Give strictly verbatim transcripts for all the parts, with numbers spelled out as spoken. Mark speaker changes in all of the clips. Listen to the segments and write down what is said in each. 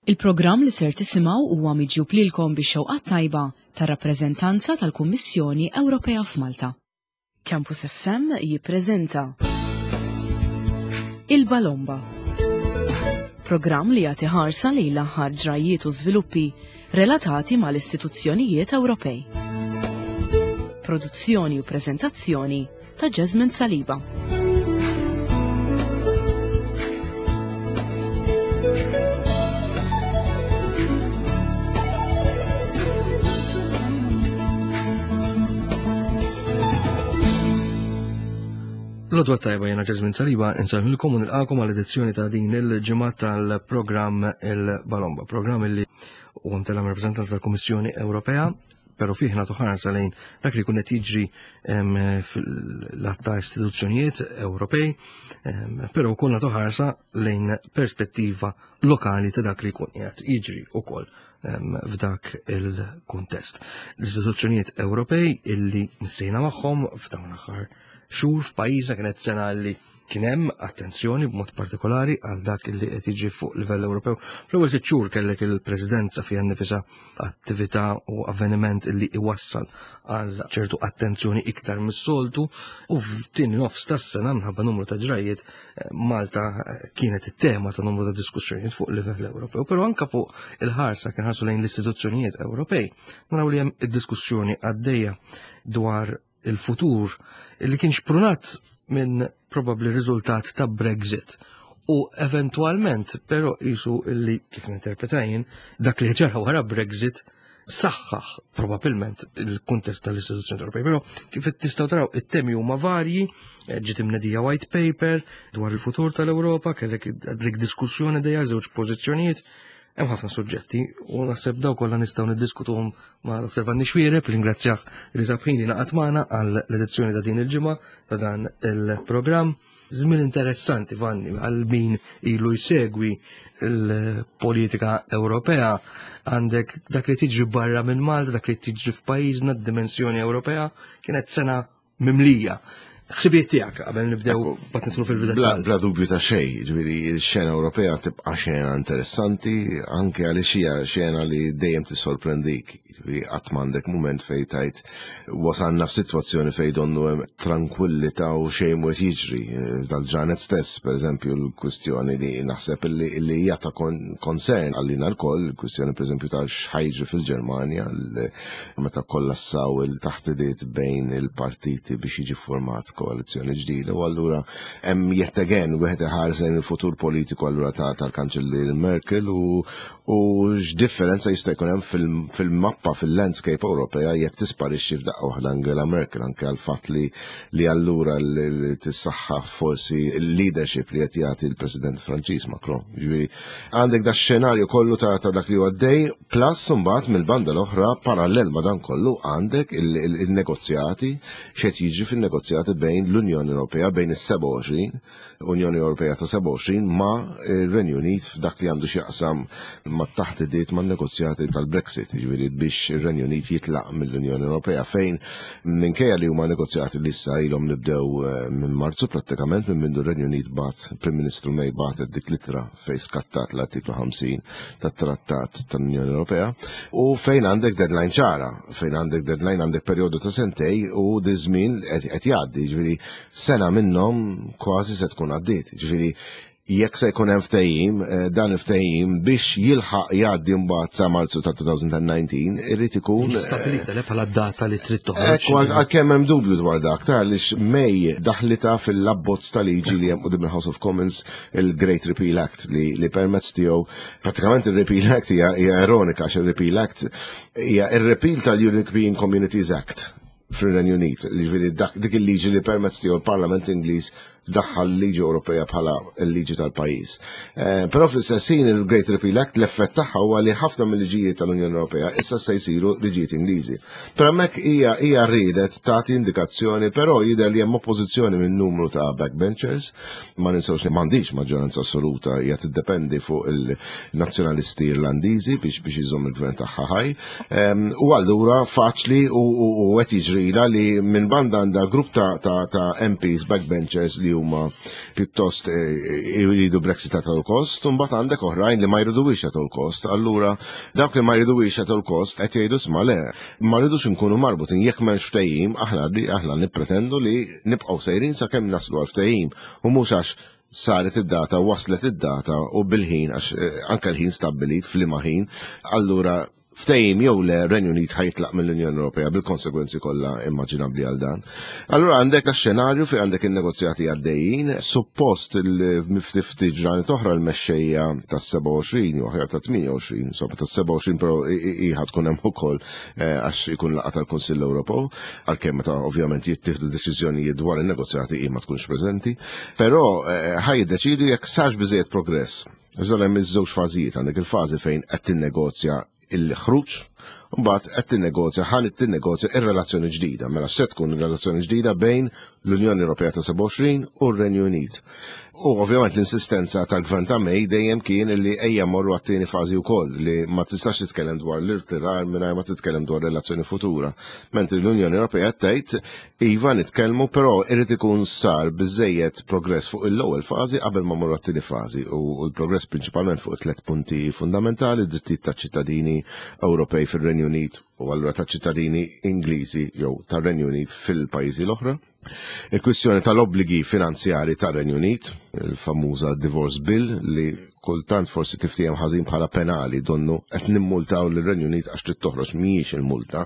Speaker 1: Il-programm li ser tisimgħu huwa miġjub lilkom bix-xewqat tajba tar-rappreżentanza tal-Kummissjoni Ewropea f'Malta. Campus F M jippreżenta Il-Balomba. Programm li jagħti ħarsa lejn l-aħħar ġrajiet u żviluppi relatati mal-istituzzjonijiet Ewropej. Produzzjoni u preżentazzjoni ta' Jasmine Saliba.
Speaker 2: L-għodwa t-tajba, jiena Jasmine Saliba, insellmilkom u nilqagħkom għal edizzjoni ta' din il-ġimgħa tal-programm Il-Balomba, programm li huwa mtella' rappreżentanza tal-Kummissjoni Ewropea, pero fih nagħtu ħarsa lejn dak li kun qed jiġri fil-lat ta' istituzzjonijiet Ewropej, però wkoll nagħtu ħarsa lejn perspettiva lokali ta' dak li jkun qiegħed jiġri wkoll f'dak il-kuntest. L-istituzzjonijiet Ewropej illi nsejna magħhom f'dawn l-aħħar xhur f'pajjiżna kienet sena li kien hemm attenzjoni b'mod partikolari għal dak li qed jiġi fuq livell Ewropew. Fl-ewwel sitt xhur kellek il-Presidenza fiha nnifisha, attività u avveniment li iwassal għal ċertu attenzjoni iktar mis-soltu, u f'tieni nofs tas-sena, minħabba numru ta' ġrajiet, Malta kienet it-tema ta' numru ta' diskussjonijiet fuq livell Ewropew, però anka fuq il-ħarsa kien ħarsu lejn l-istituzzjonijiet Ewropej. Naraw li hemm id-diskussjoni għaddejja dwar il-futur li kien xprunat minn probabli riżultat ta' Brexit u eventualment, però jisu illi kif ninterpretajin dak li ġara wara Brexit saħħaħ probabilment il-kuntest tal-istituzzjoni Ewropej. Però kif tistgħu taraw, it-temi huma varji, ġiet imnedija white paper dwar il-futur tal-Ewropa, kellek dik diskussjoni dejja żewġ pożizzjonijiet. Hemm ħafna suġġetti u naħseb daw kollha nistgħu niddiskutuhom ma' Doktor Vanni Xuereb, ringrazzjah li sab ħin li ngħaqad magħna għal l-edizzjoni ta' din il-ġimgħa ta' dan il-programm. Żmien interessanti, Vanni, għal min ilu jsegwi l-politika Ewropea, għandek dak li tiġri barra minn Malta, dak li tiġri f'pajjiżna, d-dimensjoni Ewropea, kienet sena mimlija. Ħsibijiet tiegħek qabel nibdew bat nidħlu fil-bidet.
Speaker 3: Bla, bla dubju ta' xejn, ġifieri x-xena Ewropea tibqa' xena interessanti anke għaliex hija xena li dejjem tissorprendik. Ġifieri qatt m'għandek mument fejn tajt wasalna f'sitwazzjoni fejn donnu hemm tranquillità u xejn mhu qed jiġri. Dal-ġranet stess, pereżempju, l-kwistjoni li naħseb li hija ta' concern għalina lkoll, il-kwistjoni pereżempju ta' x'ħajġri fil-Ġermanja meta kollassaw il-taħdidiet bejn il-partiti biex jiġi format koalizzjoni ġdida, u allura hemm yet again wieħed iħares lejn il-futur politiku allura ta' tal-Kanċellier Merkel u, u x'differenza jista' jkun hemm fil-mappa, fil-landscape Ewropea jekk tisparixxi f'daqqa waħda Angela Merkel, anke għal fatt li, li allura li tissaħħa forsi l-leadership li qed jagħti l-President Franċiż Macron. Ġifieri għandek da xenarju kollu ta', ta' dak li huwa għaddej, plus imbagħad mill-banda l-oħra parallel ma' dan kollu għandek il-negozjati, x'qed jiġri fin-negozjati bejn l-Unjoni Ewropea, bejn is-sebgħa u għoxrin, Unjoni Ewropea ta' sebgħa u għoxrin ma' ir-Renju Unit f'dak li għandu x'jaqsam ma' taħdidiet ma' negozjati tal-Brexit, jiġifieri biex ir-Renju Unit jitlaq mill-Unjoni Ewropea, fejn minkejja li huma negozjati li issa ilhom nibdew eh, minn Marzu prattikament, minn mindu r-Renju Unit bat, Prim Ministru May batet dik l-ittra fejn skattat l-artiklu ħamsin tat-Trattat tal-Unjoni Ewropea, u fejn għandek deadline ċara, fejn għandek deadline, għandek perjodu ta' sentej u di żmien qed jgħaddi, ġifieri sena minnhom kważi se tkun għaddiet, ġifieri jekk se jkun hemm ftehim, eh, dan il-ftehim biex jilħaq jgħaddi mbagħad sa Marzu ta' elfejn u dsatax irid ikun
Speaker 2: Jiġi stabbilita le bħala data li trid toħroġ.
Speaker 3: Ekku, għalkemm hemm dubju dwar dak, ta' għaliex May daħlita fil-abbozz ta' liġi li hemm quddiem il-House of Commons, il-Great Repeal Act, li, li permezz tiegħu pratikament il-Repeal Act hija hija ironika għax il-Repeal Act hija il-repeal tal-European Communities Act fir-Renju Unit, li dik il-liġi li permezz tiegħu l-Parlament Ingliż daħħal liġi Ewropea bħala l-liġi tal-pajjiż. Eh, però fl-istess ħin il-Great Repeal Act l-effett tagħha huwa li ħafna mill-liġijiet tal-Unjoni Ewropea issa se jsiru liġijiet Ingliżi. Però hemmhekk hija hija riedet tagħti indikazzjoni, però jidher li hemm oppożizzjoni minn numru ta' backbenchers, ma ninsewx li m'għandix maġġoranza assoluta, hija tiddependi fuq il-nazzjonalisti Irlandiżi biex biex iżomm il-gvern tagħha ħaj. U allura faċli u qed jiġrila li minn banda għandha grupp ta' ta' M Ps backbenchers li huma pjuttost eh, jridu Brexit at all cost, u mbagħad għandek oħrajn li ma jridux at all cost. Allura dawk li ma jridux at all cost qed jgħidu sma le, ma rridux nkunu marbutin jekk m'hemmx ftehim, aħna aħna nippretendu li nibqgħu sejrin sakemm naslu għal ftehim u mhux għax saret id-data, waslet id-data u bil-ħin, għax eh, anke l-ħin stabbilit f'liema ħin, allura ftehim jew le Renju Unit ħa jitlaq mill-Unjoni Ewropea bil-konsegwenzi kollha immaġinabbli għal dan. Allura għandek xenarju fi għandek il-negozjati għaddejjin, suppost il-ftit ġranet oħra l-mexxejja tas-sebgħa u għoxrin jew aħjar ta' tmienja u għoxrin, insomma tas-sebgħa u għoxrin però ħa tkun hemm ukoll eh, għax ikun laqgħa tal-Kunsill Ewropew, għalkemm meta ovvjament jittieħdu deċiżjonijiet dwar in-negozjati hi ma tkunx preżenti, però eh, ħa jiddeċidu jekk sarx biżejjed progress. Iżda hemm iż-żewġ fażijiet, għandek il-fażi fejn qed tinnegozja il-ħruġ, mbagħad qed tinnegozja ħa tinnegozja ir-relazzjoni ġdida. Mela se tkun ir-relazzjoni ġdida bejn l-Unjoni Ewropea ta' sebgħa u għoxrin u r-Renju Unit. U ovvjament l-insistenza tal-gvern ta' May dejjem kien li ejja morru għat-tieni fażi wkoll li ma tistax titkellem dwar l-irtirar mingħajr ma titkellem dwar relazzjoni futura. Mentri l-Unjoni Ewropea tgħid iva nitkellmu però irid ikun sar biżejjed progress fuq l-ewwel fażi qabel ma morru għat-tieni fażi u l-progress prinċipalment fuq tliet punti fundamentali, drittijiet taċ-ċittadini Ewropej fir-Renju Unit u allura ta' ċittadini Ingliżi jew tar-Renju Unit fil-pajjiżi l-oħra. Il-kwistjoni tal-obbligi finanzjari tar-Renju Unit, il-famuża divorce bill li kultant forsi tiftiehem ħażin bħala penali donnu qed nimmultaw lir-Renju Unit għax trid toħroġ mhijiex il-multa,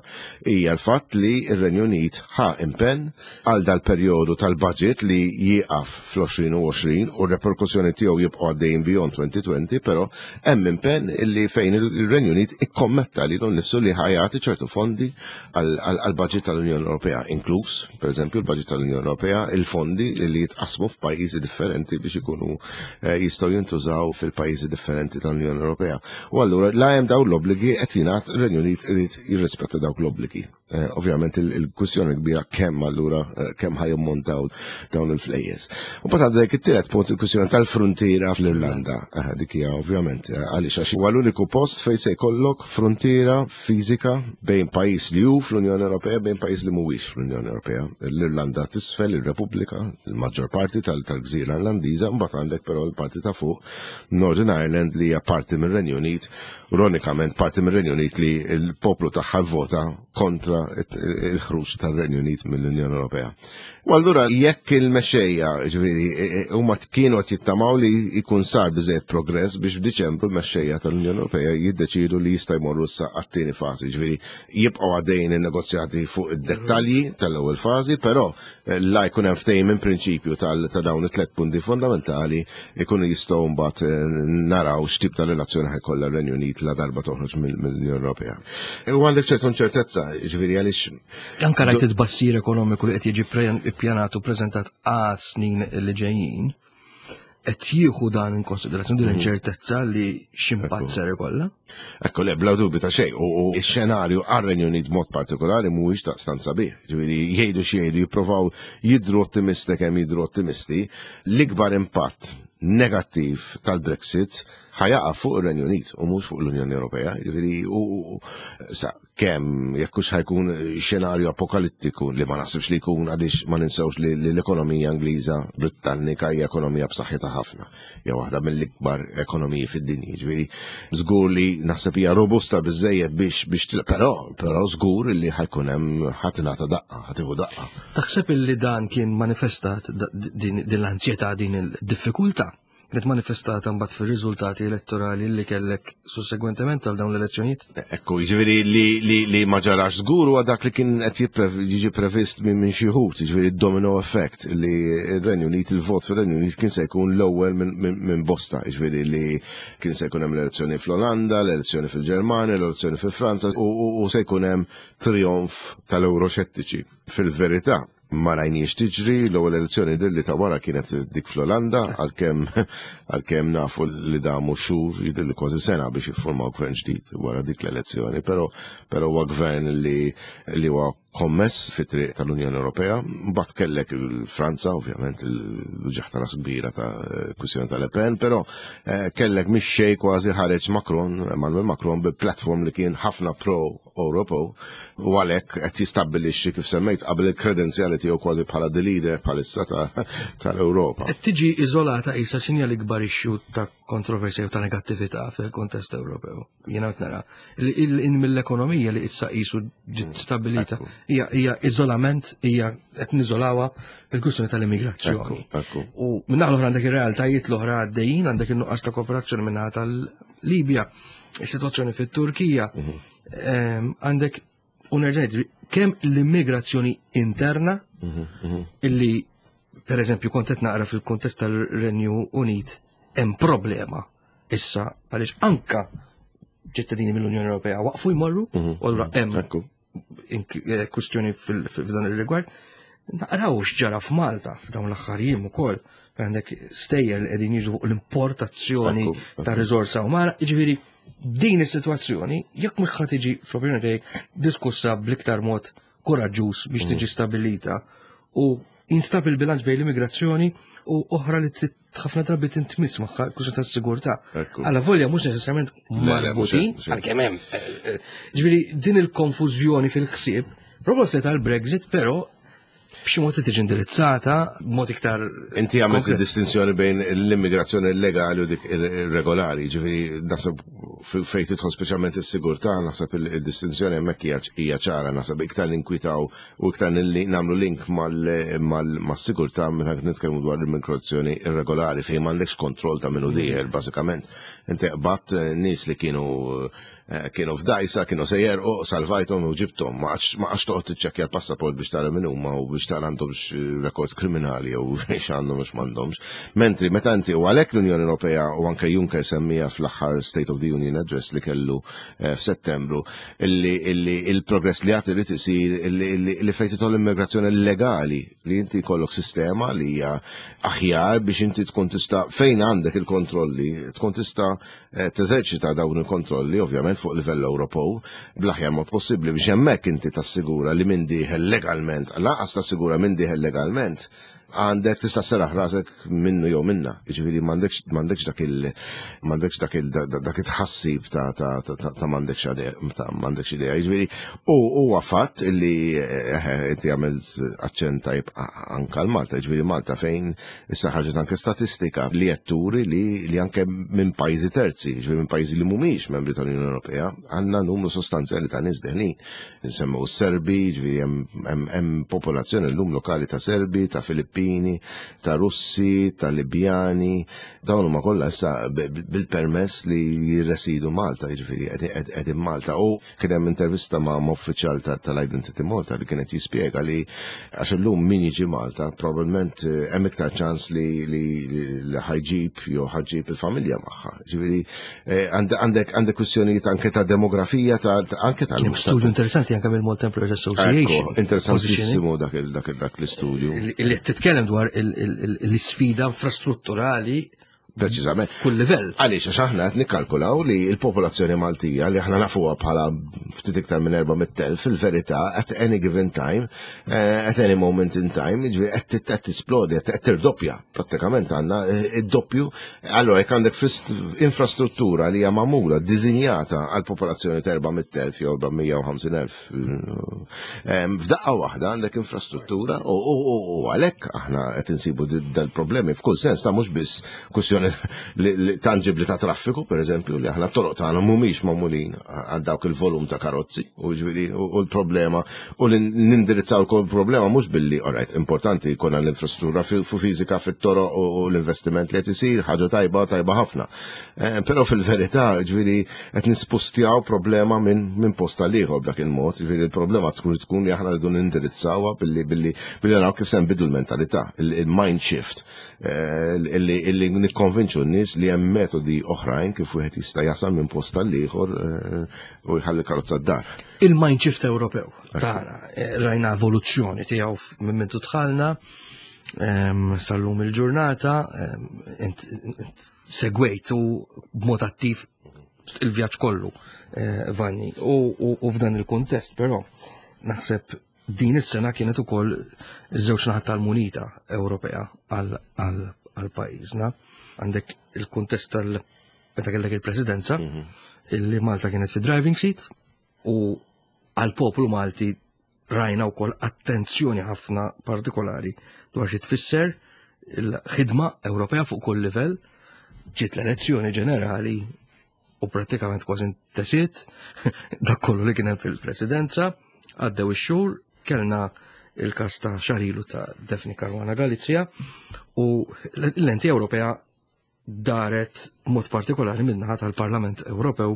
Speaker 3: hija l-fatt li r-Renju Unit ħa impenn għal dal-perjodu tal-budget li jieqaf fl-għoxrin u għoxrin u r-reperkussjoni tiegħu jibqgħu għaddejjin beyond twenty twenty, però hemm impenn li fejn il-Renju Unit ikkommetta lilu nnifsu li ħa jagħti ċertu fondi għal-budget tal-Unjoni Ewropea, inkluż, pereżempju, il-budget tal-Unjoni Ewropea, il-fondi li jitqasmu f'pajjiżi differenti biex ikunu eh, jistgħu jintużaw fil-pajjiżi differenti tal-Unjoni Ewropea. U allura la hemm dawn l-obbligi qed jingħad ir-Renju Unit irid jirrispetta dawk l-obbligi. Eh, ovvjament il-kwistjoni kbira kemm allura eh, kemm ħa jammontaw dawn il-flejjes. U mbagħad għandek it-tielet punt il-kwistjoni tal-frontiera fl-Irlanda. Eh, dik hija ovvjament għaliex għax huwa l-uniku post fejn se jkollok frontiera fiżika bejn pajjiż li hu fl-Unjoni Ewropea bejn pajjiż li mhuwiex fl-Unjoni Ewropea. L-Irlanda t'isfel, ir-Repubblika, il-maġġor parti tal-gżira Irlandiża, mbagħad għandek però l-parti ta' fuq Northern Ireland li hija parti mir-Renju Unit, ironikament parti mir-Renju Unit li l-poplu tagħha vvota kontra il-ħruġ tar-Renju Unit mill-Unjoni Ewropea. U allura jekk il-mexxejja, ġifieri, huma kienu qed jittamaw li jkun sar biżejjed progress biex f'Diċembru l-mexxejja tal-Unjoni Ewropea jiddeċidu li jista' jmorru issa għat-tieni fażi, ġifieri jibqgħu għaddejjin in-negozjati fuq id-dettalji tal-ewwel fażi, però la jkun hemm ftehim minn prinċipju ta' dawn it-tliet punti fondamentali jkunu jistgħu mbagħad naraw x'tip ta' relazzjoni ħa jkollha r-Renju Unit la darba toħroġ mill-Unjoni Ewropea. U għandek ċertu inċertezza, ġifieri għaliex
Speaker 2: Anka rajt it-tbassir ekonomiku li qed jiġi ippjanat u preżentat għal snin li ġejjin, qed jieħu dan in konsiderazzjoni din l-inċertezza li x'impatt ser ikollha?
Speaker 3: Ekku, le, bla dubju ta' xejn, u x-xenarju għar-Renju Unit mod partikolari mhuwiex daqstant sabiħ. Ġifieri jgħidu xi jgħidu jippruvaw jidhru ottimisti kemm jidhru ottimisti, l-ikbar impatt negattiv tal-Brexit ħa jaqa' fuq ir-Renju Unit u mhux fuq l-Unjoni Ewropea. Ġifieri u sa kemm jekk hux ħa jkun xenarju apokalittiku li ma naħsibx li jkun għaliex ma ninsewx li l-ekonomija Ingliża Britannika hija ekonomija b'saħħitha ħafna. Hija waħda mill-ikbar ekonomiji fid-dinja. Ġifieri żgur li naħseb hija robusta biżejjed biex biex però però żgur li ħa jkun hemm ħa tingħata daqqa, ħa tieħu daqqa.
Speaker 2: Taħseb illi dan kien manifestat din l-ansjetà, din il-diffikultà kienet manifestata mbagħad fir-riżultati elettorali li kellek sussegwentement għal dawn l-elezzjonijiet?
Speaker 3: Ekku, jiġifieri li, li, li ma ġarax żgur huwa dak li kien qed jiġi previst minn minn xi wħud, jiġifieri domino effect li r-Renju Unit, il-vot fir-Renju Unit kien se jkun l-ewwel minn min, min bosta, jiġifieri li kien se jkun hemm l-elezzjoni fl-Olanda, l-elezzjoni fil-Ġermanja, l-elezzjoni fil-Franza u, u, u se jkun hemm trionf tal-Euroxettiċi. Fil-verità, ma rajniex tiġri, l-ewwel elezzjoni li ta' wara kienet dik fl-Olanda, għalkemm għalkemm nafu li damu xhur jidher li kważi sena biex jiffurmaw gvern ġdid wara dik l-elezzjoni, però però huwa gvern li li huwa Kommess fit-triq tal-Unjoni Ewropea. Mbagħad kellek il-Franza, ovvjament, l-uġigħ ta' ras kbira ta' kwistjoni tal-Le Pen, però eh, kellek mix xejn kważi ħareġ Macron, Emmanuel Macron, bi platform li kien ħafna pro-Ewropew u għalhekk qed jistabbilixxi, kif semmejt qabel, il-kredenzjali tiegħu kważi bħala the leader bħalissa tal-Ewropa.
Speaker 2: Qed tiġi iżolata isa x'inhi l-ikbar issue ta' kontroversja u ta' negattività fil-kontest Ewropew? Jiena qed nara il mill-ekonomija li issa qisu ġiet stabilita hija hija iżolament, hija qed niżolawha il-kwistjoni tal-immigrazzjoni. U minn l-oħra għandek ir-realtajiet l-oħra għaddejjin, għandek in-nuqqas ta' kooperazzjoni minn tal-Libja, is-sitwazzjoni fit-Turkija, mhm. ehm, għandek u nerġa' kemm l-immigrazzjoni interna mhm, mhm. illi per eżempju kont qed naqra fil-kontest tal-Renju Unit hemm problema issa għaliex anka ċittadini mill-Unjoni Ewropea waqfu jmorru u allura hemm eh, kwistjoni f'dan ir-rigward. Naqraw x'ġara f'Malta f'dawn l-aħħar jiem ukoll, għandek stejjer li qegħdin jiġu fuq l-importazzjoni ta' riżorsa umana, jiġifieri din is-sitwazzjoni jekk mhux ħa tiġi, fl-opinjoni tiegħi, diskussa bl-iktar mod koraġġuż biex tiġi stabilita u jinstab il-bilanċ bejn l-immigrazzjoni u oħra li ħafna drabi tintmiss magħha, kwistjoni tas-sigurtà. Alla volja mhux neċessarjament marbutin, għalkemm hemm. Eh, eh, ġifieri din il-konfużjoni fil-ħsieb, proposta tal-Brexit, però b'xi mod tiġi indirizzata b'mod iktar.
Speaker 3: Inti għamilt distinzjoni bejn l-immigrazzjoni illegali u dik irregolari, ġifieri naħseb fejn tidħol speċjalment is-sigurtà, naħseb il-distinzjoni hemmhekk hija ċara, naħseb iktar ninkwitaw u iktar nagħmlu link mas-sigurtà meta nitkellmu dwar l-immigrazzjoni irregolari, fejn m'għandekx kontroll ta' minnu dieħel bażikament. Inti qbadt nies li kienu eh, kienu f'dajsa, kienu sejjer u salvajthom u ġibthom, ma għax toqgħod tiċċekkja l-passaport biex tara min huma u biex tara għandhomx records kriminali jew x'għandhom mhux m'għandhomx. Mentri meta inti, u għalhekk l-Unjoni Ewropea u anke Juncker semmija fl-aħħar State of the Union Address li kellu eh, f'Settembru illi il-progress li għad irid isir li fejn tidħol immigrazzjoni legali, li inti jkollok sistema li hija aħjar biex inti tkun tista', fejn għandek il-kontrolli, tkun tista' eh, teżerċita dawn il-kontrolli ovvjament fuq livell Ewropew bl-aħjar mod possibbli biex hemmhekk inti tassigura li min dieħel legalment, lanqas tassigura min dieħel legalment, għandek tista' sserraħ rasek minnu jew minna. Jiġifieri m'għandekx m'għandekx dak il m'għandekx dak il dak it-tħassib ta' ta' ta' ta' m'għandekx ta' m'għandekx idea. Jiġifieri u huwa fatt illi eh, inti għamilt aċċent tajb anke l-Malta, jiġifieri Malta fejn issa ħarġet anke statistika li qed turi li li anke minn pajjiżi terzi, jiġifieri minn pajjiżi li mhumiex membri tal-Unjoni Ewropea, għandna numru sostanzjali ta' nies deħlin. Nsemmu Serbi, jiġifieri hemm popolazzjoni llum lokali ta' Serbi, ta' Filippini, ta' Russi, ta' Libjani, dawn huma kollha issa bil-permess li jirresidu Malta, jiġifieri qegħdin Malta. U kien hemm intervista ma' uffiċjal tal-Identity Malta li kienet jispjega li għax illum min jiġi Malta probabbilment eh, hemm iktar ċans li li ħa jġib jew ħa ġġib il-familja magħha. Ġifieri eh, għandek għandek kwistjonijiet anke ta' demografija, ta' anke ta'
Speaker 2: Studju interessanti anke mill-Malta Employers Association.
Speaker 3: Interessantissimu dak dak l-istudju.
Speaker 2: Li titkellem dwar l-isfida infrastrutturali.
Speaker 3: Preċiżament.
Speaker 2: Kull livell.
Speaker 3: Għaliex, għax aħna qed nikkalkulaw li l-popolazzjoni Maltija li aħna nafuha bħala ftit iktar minn erba' mitt elf, fil-verità at any given time, eh, at any moment in time, jiġifieri qed qed tisplodi, qed tirdoppja. Prattikament għandna eh, id-doppju. Allora jekk għandek infrastruttura li hija magħmula, diżinjata għal popolazzjoni ta' erba' mitt elf jew erba' mija u ħamsin elf, eh, f'daqqa waħda għandek infrastruttura u għalhekk aħna qed insibu dal-problemi f'kull sens ta' mhux biss kwistjoni tangibli ta' traffiku, per eżempju, li aħna toroq tagħna mhumiex magħmulin għal dawk il-volum ta' karozzi u ġifieri u l-problema u li nindirizzaw il-problema mhux billi, alright, importanti jkollna l-infrastruttura fu fiżika fit-toroq u l-investiment li qed isir, ħaġa tajba, tajba ħafna. Eh, però fil-verità, ġifieri qed nispustjaw problema minn minn post għal ieħor b'dak il-mod, ġifieri il-problema tkun tkun li aħna rridu nindirizzawha billi billi billi naraw kif se nbidlu l-mentalità, il-mind shift, eh, illi nikkonvinċu n-nies li hemm metodi oħrajn kif wieħed jista' jasal minn post għal ieħor eh, u jħalli karozza d-dar.
Speaker 2: Il-mind shift Ewropew tagħna, eh, rajna evoluzzjoni tiegħu minn mintu dħalna sal-lum il-ġurnata, int segwejt u b'mod attiv il-vjaġġ kollu, Vanni. U f'dan il-kuntest però naħseb Din is-sena kienet ukoll iż-żewġ naħat tal-munita Ewropea għal pajjiżna. Għandek il-kuntest tal meta kellek il-presidenza, mhm. illi Malta kienet fi driving seat u għal poplu Malti rajna wkoll attenzjoni ħafna partikolari dwar xi tfisser il-ħidma Ewropea fuq kull livell. Ġiet l-elezzjoni ġenerali u prattikament kważi intesiet dak kollu li kien hemm fil-presidenza. Għaddew ix-xhur, kellna il-kas ta' xahar ilu ta' Daphne Caruana Galizia u l-lenti Ewropea daret mod partikolari min-naħa tal-Parlament Ewropew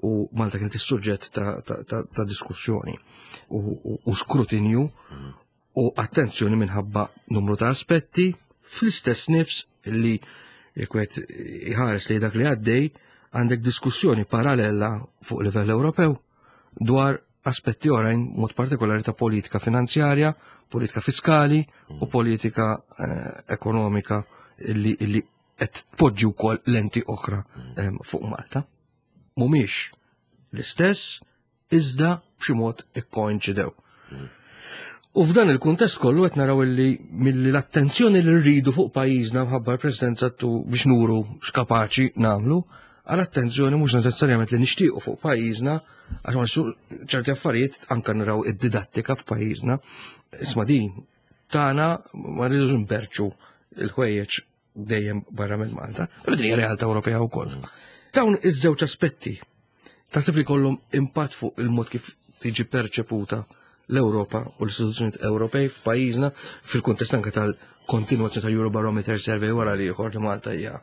Speaker 2: u Malta kienet is-suġġett ta', ta, ta, ta diskussjoni u, u, u skrutinju u attenzjoni minħabba numru ta' aspetti. Fl-istess nifs li jekk wieħed iħares li dak li għaddej, għandek diskussjoni parallela fuq livell Ewropew dwar aspetti oħrajn, mod partikolari ta' politika finanzjarja, politika fiskali u politika eh, ekonomika illi, illi qed tpoġġi wkoll lenti oħra eh, fuq Malta. Mhumiex l-istess, iżda b'xi mod ikkoinċidew. U f'dan il-kuntest kollu qed naraw illi milli l-attenzjoni li rridu fuq pajjiżna mħabba l-presidenza tu biex nuru x'kapaċi nagħmlu, għal attenzjoni mhux neċessarjament li nixtiequ fuq pajjiżna, għax ma ċerti affarijiet anka naraw id-didattika f'pajjiżna. Isma', din tagħna, ma rridux nberċu il-ħwejjeġ dejjem barra minn Malta, però din hija realtà Ewropea wkoll. Dawn iż-żewġ aspetti taħseb li kollhom impatt fuq il-mod kif tiġi perċeputa l-Ewropa u l-istituzzjonijiet Ewropej f'pajjiżna, fil-kuntest anke tal-kontinuazzjoni tal-Eurobarometer survey wara li ieħor li Malta hija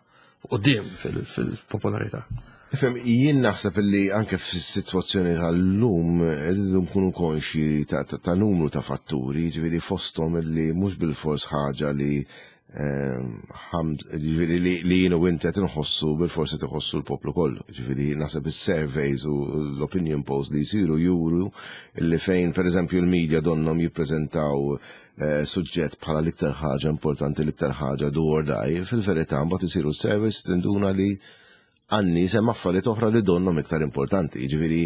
Speaker 2: quddiem fil-popolarità?
Speaker 3: Ifhem, jien naħseb li anke fis-sitwazzjoni tal-lum irridu nkunu konxi ta', ta, ta numru ta' fatturi, ġifieri fosthom li mhux bil-fors ħaġa li ehm, ġifieri li, li jienu inti qed inħossu bil-forsi tħossu l-poplu kollu. Ġifieri naħseb is-surveys u l-opinion polls li jsiru juru li fejn, pereżempju, l-media donnom jippreżentaw eh, suġġett bħala l-iktar ħaġa importanti, l-iktar ħaġa do or die, fil-verità mbagħad isiru surveys, tinduna li għan-nies hemm affarijiet oħra li donnom iktar importanti. Ġifieri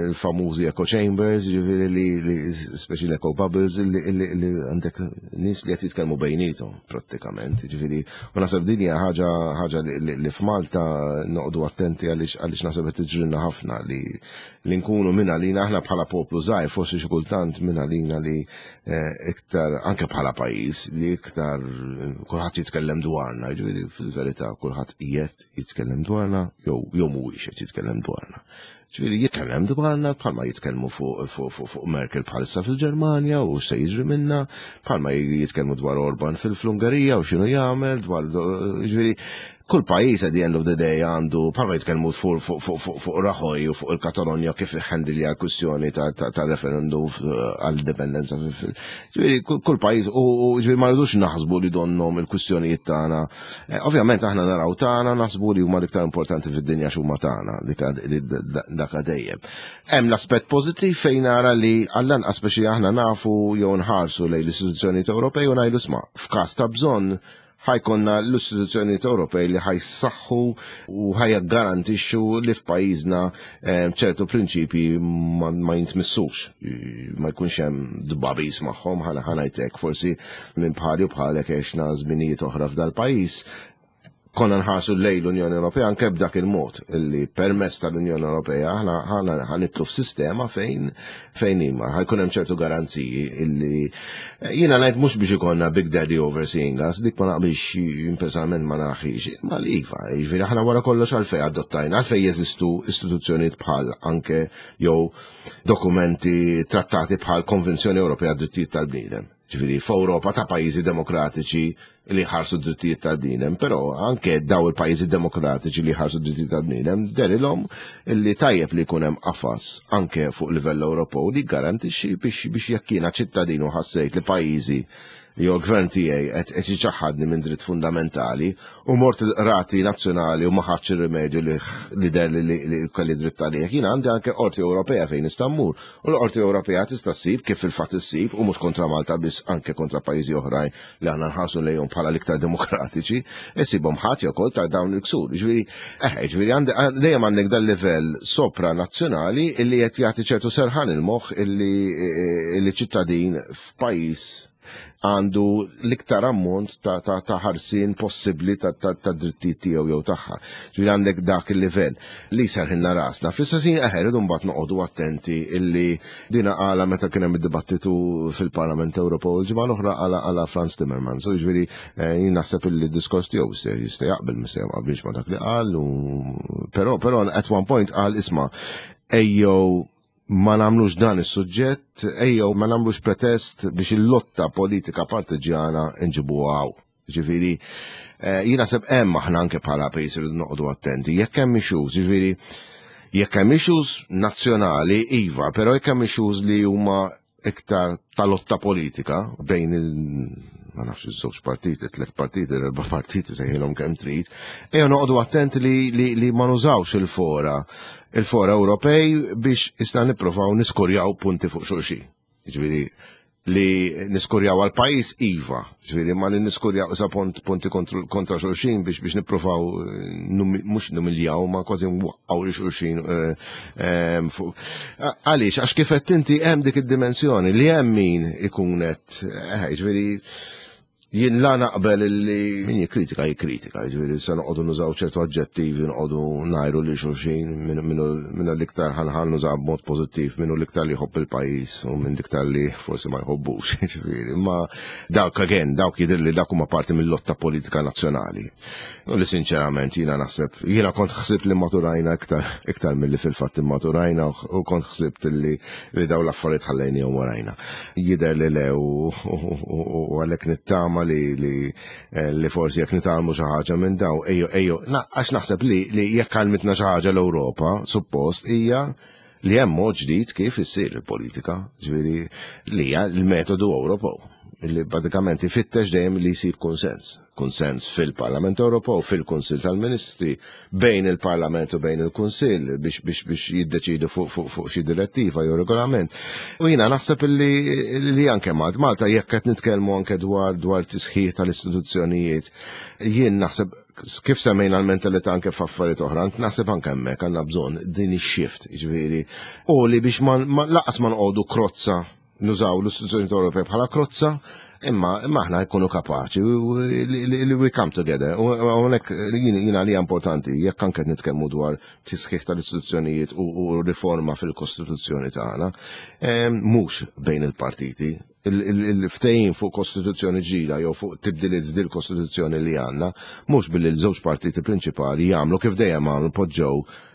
Speaker 3: il-famużi echo chambers, ġifieri li, li speċi l-echo bubbles, li, li, li għandek nies li qed jitkellmu bejnietom prattikament. Ġifieri u naħseb din hija ħaġa ħaġa li, li, li f'Malta noqogħdu attenti, għaliex għaliex naħseb qed tiġrilna ħafna li li nkunu minn għalina aħna bħala poplu żgħir, forsi xi kultant minn għalina li eh, iktar anke bħala pajjiż li iktar eh, kulħadd jitkellem dwarna, ġifieri fil-verità kulħadd qiegħed jitkellem dwarna jew jew mhuwiex qed jitkellem dwarna. Ġifieri jitkellem dwarna bħalma jitkellmu fuq fuq fuq fuq Merkel bħalissa fil-Ġermanja u se jiġri minna, bħalma jitkellmu dwar Orban fil-Ungerija u x'inhu jagħmel, dwar, ġifieri kull pajjiż at the end of the day għandu, bħalma jitkellmu fuq fuq fuq fuq fuq Rajoy u fuq il-Katalonja, kif handilja l-kwistjoni ta' ta' ta' referendum għall-indipendenza. Ġifieri kull kull pajjiż u u ġifieri ma rridux naħsbu li donnom il-kwistjonijiet tagħna. Eh, Ovvjament aħna naraw tagħna, naħsbu li huma l-iktar importanti fid-dinja x'huma tagħna, dik dak dejjem. Hemm l-aspett pożittiv fejn nara li għall-anqas biex aħna nafu jew nħarsu lejn l-istituzzjonijiet Ewropej u ngħidu, "Isma', f'każ ta' bżonn ħa jkollna l-istituzzjonijiet Ewropej li ħa jsaħħu u ħa jgarantixxu li f'pajjiżna eh, ċertu prinċipji ma, ma jintmissux, ma jkunx hemm dbabis magħhom." Ħana ħa ngħidlek, forsi minn bħali u bħalek għexna żminijiet oħra f'dal-pajjiż, konna nħarsu lejn l-Unjoni Ewropea anke b'dak il-mod illi permezz tal-Unjoni Ewropea aħna ħana ħa nidħlu f'sistema fejn fejn imma ħa jkun hemm ċertu garanziji illi eh, jiena ngħid mhux biex ikollna Big Daddy overseeing us, dik ma naqbilx jien personalment, ma naħix, ma li iva, jiġifieri aħna wara kollox għalfejn adottajna, għalfejn jeżistu istituzzjonijiet bħal anke jew dokumenti, trattati bħal Konvenzjoni Ewropea Drittijiet tal-Bniedem? Ġifieri, f'Ewropa ta' pajjiżi demokratiċi li ħarsu d-drittijiet tal-bniedem, però anke daw il-pajjiżi demokratiċi li ħarsu d-drittijiet tal-bniedem dehrilhom li tajjeb li jkun hemm qafas anke fuq livell Ewropew li garantixxi biex biex jekk jiena ċittadin u ħassejt li pajjiżi Jew l-gvern tiegħi qed qed jiċaħħadni minn dritt fundamentali u mort il-qrati nazzjonali u ma ħadx ir-rimedju li li der li li kelli dritt għalih. Jien għandi anke Qorti Ewropea fejn nista' mmur. U l-Qorti Ewropea tista' ssib kif fil-fatt issib, u mhux kontra Malta biss, anke kontra pajjiżi oħrajn li aħna nħarsu lejhom bħala l-iktar demokratiċi, isibhom ħadd ukoll ta' dawn il-ksur. Ġifieri, eh, ġifieri dejjem għandek dal-livell sopranazzjonali illi qed jagħti ċertu serħan il-moħħ illi illi ċittadin f'pajjiż għandu l-iktar ammont ta', ta, ta' ħarsin possibbli ta', ta, ta' drittijiet tiegħu jew tagħha. Ġifieri għandek dak il-livell li serħilna rasna. Fl-istess ħin eħe rridu mbagħad noqogħdu attenti illi dina qala meta kien hemm id-dibattitu fil-Parlament Ewropew il-ġimgħa l-oħra qala qala Frans Timmermans. So ġifieri eh, jien naħseb illi d-diskors tiegħu jista' jaqbel, jista' jaqbilx ma' dak li qal, u però però at one point qal, "Isma', ejjew ma nagħmlux dan is-suġġett, ejjew ma nagħmlux pretest biex il-lotta politika partiġjana nġibu hawn." Ġifieri, eh, jiena seb hemm aħna anke bħala pajjiż irridu noqogħdu attenti. Jekk hemm issues, ġifieri, jekk hemm issues nazzjonali, iva, però jekk hemm issues li huma iktar tal-lotta politika bejn il ma nafx, iż-żewġ partiti, tliet partiti, erba' partiti, sejħilhom kemm trid, ejja noqogħdu attenti li, li, li ma nużawx il-fora il-fora Ewropej biex isna nippruvaw niskorjaw punti fuq xulxin. Ġifieri li niskorjaw għal pajjiż iva, ġifieri ma li niskorjaw isa punt, punti kontra xulxin biex biex nippruvaw mhux numiljaw ma kważi nwaqqgħu li xulxin. Għaliex, għax kif qed inti hemm dik id-dimensjoni li hemm min ikun qed, eh, ġifieri jien la naqbel li min jikkritika jikkritika, ġifieri se noqogħdu nużaw ċertu aġġettivi, noqogħdu ngħajru li xulxin minn l-iktar ħanħan nużaw b'mod pożittiv, minnu l-iktar li jħobb il-pajjiż u minn l-iktar li forsi ma jħobbux, ġifieri. Ma dawk again, dawk jidher li dak huma parti mill-lotta politika nazzjonali. U li sinċerament jiena naħseb, jiena kont ħsibt li maturajna iktar iktar milli fil-fatt immaturajna u kont ħsibt li li daw l-affarijiet ħallejnihom warajna. Jidher li le, u għalhekk nittama li li li forsi jekk nitgħallmu xi ħaġa minn daw, ejju ejju, għax naħseb li li jekk għallmitna xi ħaġa l-Ewropa, suppost hija li hemm mod ġdid kif issir il-politika, ġifieri li hija l-metodu Ewropew li pratikament ifittex dejjem li jsir konsens. Konsens fil-Parlament Ewropew, fil-Kunsill tal-Ministri, bejn il-Parlament u bejn il-Kunsill biex biex biex jiddeċidu fuq fuq fuq xi direttiva jew regolament. U jiena naħseb li li anke Malta, jekk qed nitkellmu anke dwar dwar tisħiħ tal-istituzzjonijiet, jien naħseb kif semmejna l-mentalità anke f'affarijiet oħra, naħseb anke hemmhekk għandna bżonn din ix-shift, ġifieri, u li biex ma laqas ma noqogħdu krozza, nużaw l-istituzzjoni Ewropea bħala krozza, imma imma aħna jkunu kapaċi li we come together. U hawnhekk jiena li importanti, jekk anke nitkellmu dwar tisħiħ tal-istituzzjonijiet u riforma fil-Kostituzzjoni tagħna, mhux bejn il-partiti, il-ftehim fuq kostituzzjoni ġdida jew fuq tibdiliet f'dil kostituzzjoni li għandna, mhux billi l-żewġ partiti prinċipali jagħmlu kif dejjem għamlu, poġġew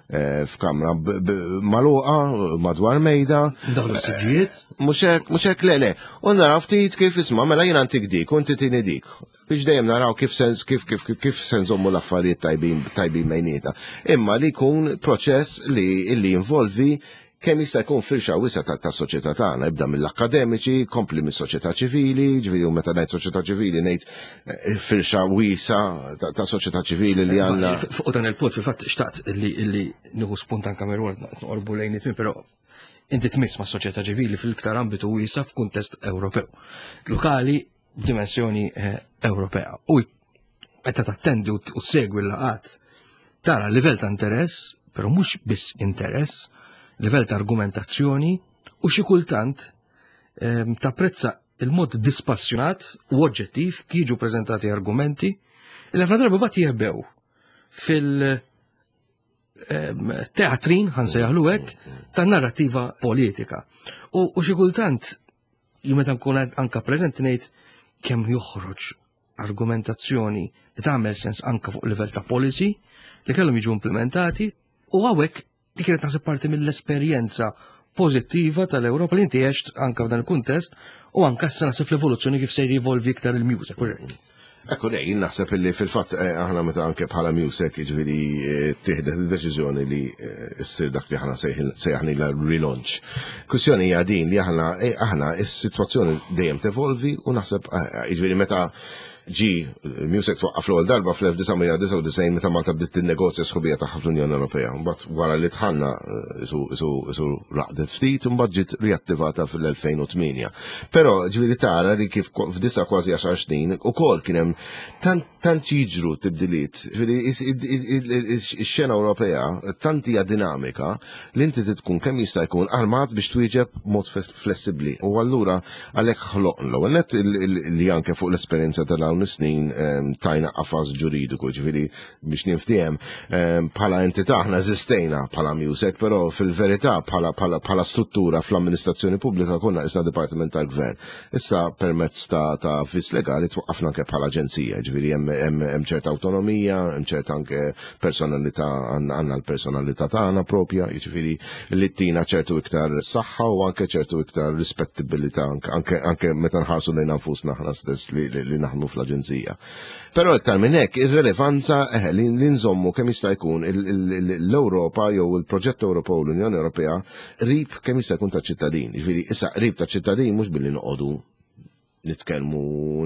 Speaker 3: eh, f'kamra magħluqa madwar mejda.
Speaker 2: Daħlu s-siġijiet?
Speaker 3: Mhux hekk, mhux hekk, le, le. U naraw ftit kif, isma', mela jiena ntik dik, u inti tini dik. Biex dejjem naraw kif sens kif kif kif kif se nżommu l-affarijiet tajbin tajbin bejnietna. Imma li jkun proċess li li jinvolvi kemm jista' jkun firxa wiesgħa ta' ta' soċjetà tagħna, ibda mill-akkademiċi, kompli mis-soċjetà ċivili, ġifieri u meta ngħid soċjetà ċivili ngħid eh, firxa wiesgħa ta' ta' soċjetà ċivili li għandna.
Speaker 2: Fuq dan il-punt, fil-fatt xtaqt illi illi nieħu spunt anka mirward noqorbu lejn it, però inti tmiss ma' soċjetà ċivili fil-iktar ambitu wiesa' f'kuntest Ewropew. Lokali b'dimensjoni eh, Ewropea. U meta tattendi u u segwi l-laqat tara livell ta' interess, però mhux biss interess, livell ta' argumentazzjoni u xi kultant ehm, tapprezza il-mod dispassjonat u oġġettiv kif jiġu preżentati argumenti li ħafna drabi bat jeħbew fil- ehm, teatrin, ħa nsejjaħlu hekk, ta' narrativa politika. U, u xi kultant, jien meta nkun anka preżenti ngħid kemm joħroġ argumentazzjoni li tagħmel sens anka fuq livell ta' policy li kellhom jiġu implementati, u hawnhekk dik kienet naħseb parti mill-esperjenza pożittiva tal-Ewropa li inti għext anka f'dan il-kuntest u anka issa naħseb fl-evoluzzjoni kif se jivolvi iktar il-music.
Speaker 3: Ekku lej, naħseb illi fil-fatt eh, aħna meta anke bħala MEUSAC, ġifieri eh, tieħdet id-deċiżjoni li eh, issir dak li aħna sejjaħna relaunch. Kwistjoni hija din li aħna aħna is-sitwazzjoni dejjem tevolvi u naħseb ġifieri meta ġi MEUSAC twaqqaf l-ewwel darba fl-elf disa' mija disgħa u disgħin meta Malta bdiet tinnegozja sħubija tagħha fl-Unjoni Ewropea. Mbagħad wara li dħalna isu raqdet ftit, mbagħad ġiet riattivata fil-elfejn u tmienja. Però ġifieri tara li kif f'disa kważi għaxar snin ukoll kien hemm tant jiġru tibdiliet. Ġifieri ix-xena Ewropea tant hija dinamika li inti tkun kemm jista' jkun armat biex twieġeb mod flessibbli. U allura għalhekk ħloqna l-ewwel net li anke fuq l-esperjenza tal dawn is-snin tajna qafas ġuridiku, ġifieri biex niftiehem bħala entità aħna eżistejna bħala MEUSAC, però fil-verità bħala bħala struttura fl-amministrazzjoni pubblika konna isna dipartiment tal-gvern. Issa permezz ta' ta' vis legali twaqqafna anke bħala aġenzija, ġifieri hemm ċerta autonomija, hemm ċerta anke personalità, għandna l-personalità tagħna propja, jiġifieri li tina ċertu iktar saħħa u anke ċertu iktar rispettibilità anke anke meta nħarsu lejn nfusna aħna stess li, li naħdmu fl-aġenzija. Però iktar minn hekk ir-relevanza eh, li nżommu kemm jista' jkun l-Ewropa jew il-proġett Ewropew, l-Unjoni Ewropea, qrib kemm jista' jkun ta' ċittadin. Ġifieri issa qrib ta' ċittadin mhux billi noqogħdu nitkellmu,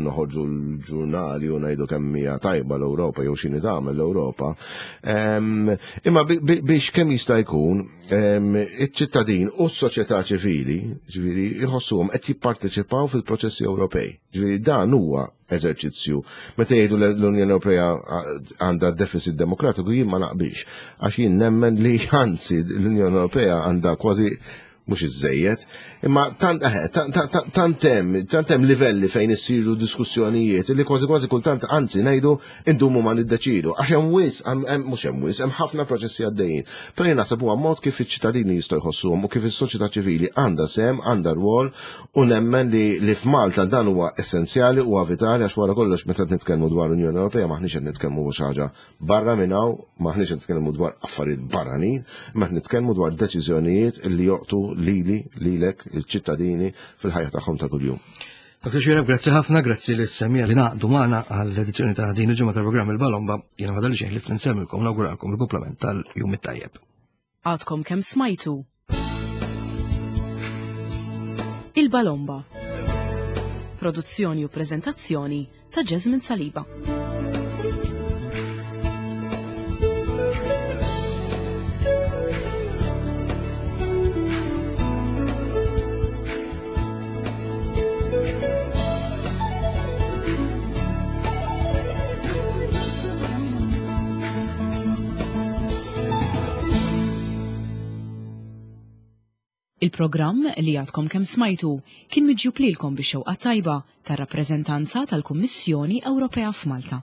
Speaker 3: noħorġu l-ġurnali u ngħidu kemm hija tajba l-Ewropa jew x'inhi tagħmel l-Ewropa. Imma biex kemm jista' jkun iċ-ċittadin u s-soċjetà ċivili, ġifieri jħossuhom qed jipparteċipaw fil-proċessi Ewropej. Ġifieri dan huwa eżerċizzju. Meta jgħidu l-Unjoni Ewropea għandha deficit demokratiku, jien ma naqbilx. Għax jien nemmen li anzi l-Unjoni Ewropea għandha kważi mhux iżejjed, imma tant tant hemm tant hemm livelli fejn issiru diskussjonijiet li kważi kważi kultant anzi ngħidu indumu ma niddeċidu. Għax hemm wisq, mhux hemm wisq, hemm ħafna proċessi għaddejjin. Però jien naħseb huwa mod kif iċ-ċittadini jistgħu jħossuhom u kif is-soċjetà ċivili għandha sehem, għandha rwol, u nemmen li li f'Malta dan huwa essenzjali u vitali, għax wara kollox meta nitkellmu dwar l-Unjoni Ewropea maħniex qed nitkellmu xi ħaġa barra minn hawn, maħniex qed nitkellmu dwar affarijiet barranin, imma qed nitkellmu dwar deċiżjonijiet li jolqtu lili, lilek, il-ċittadini fil-ħajja tagħhom ta' kuljum.
Speaker 2: Doktor Xuereb, grazzi ħafna, grazzi lis-semmiegħa li ngħaqdu magħna għall-edizzjoni ta' din il-ġimgħa tal-programm Il-Balomba. Jiena fadal xejn ħlief nsellmilkom, nawguralkom il-kumplament tal-jum it-tajjeb.
Speaker 1: Għadkom kemm smajtu Il-Balomba. Produzzjoni u prezentazzjoni ta' Jasmine Saliba. Il-programm li għadkom kemm smajtu kien miġjub lilkom bix-xewqa tajba tar-rappreżentanza tal-Kummissjoni Ewropea f'Malta.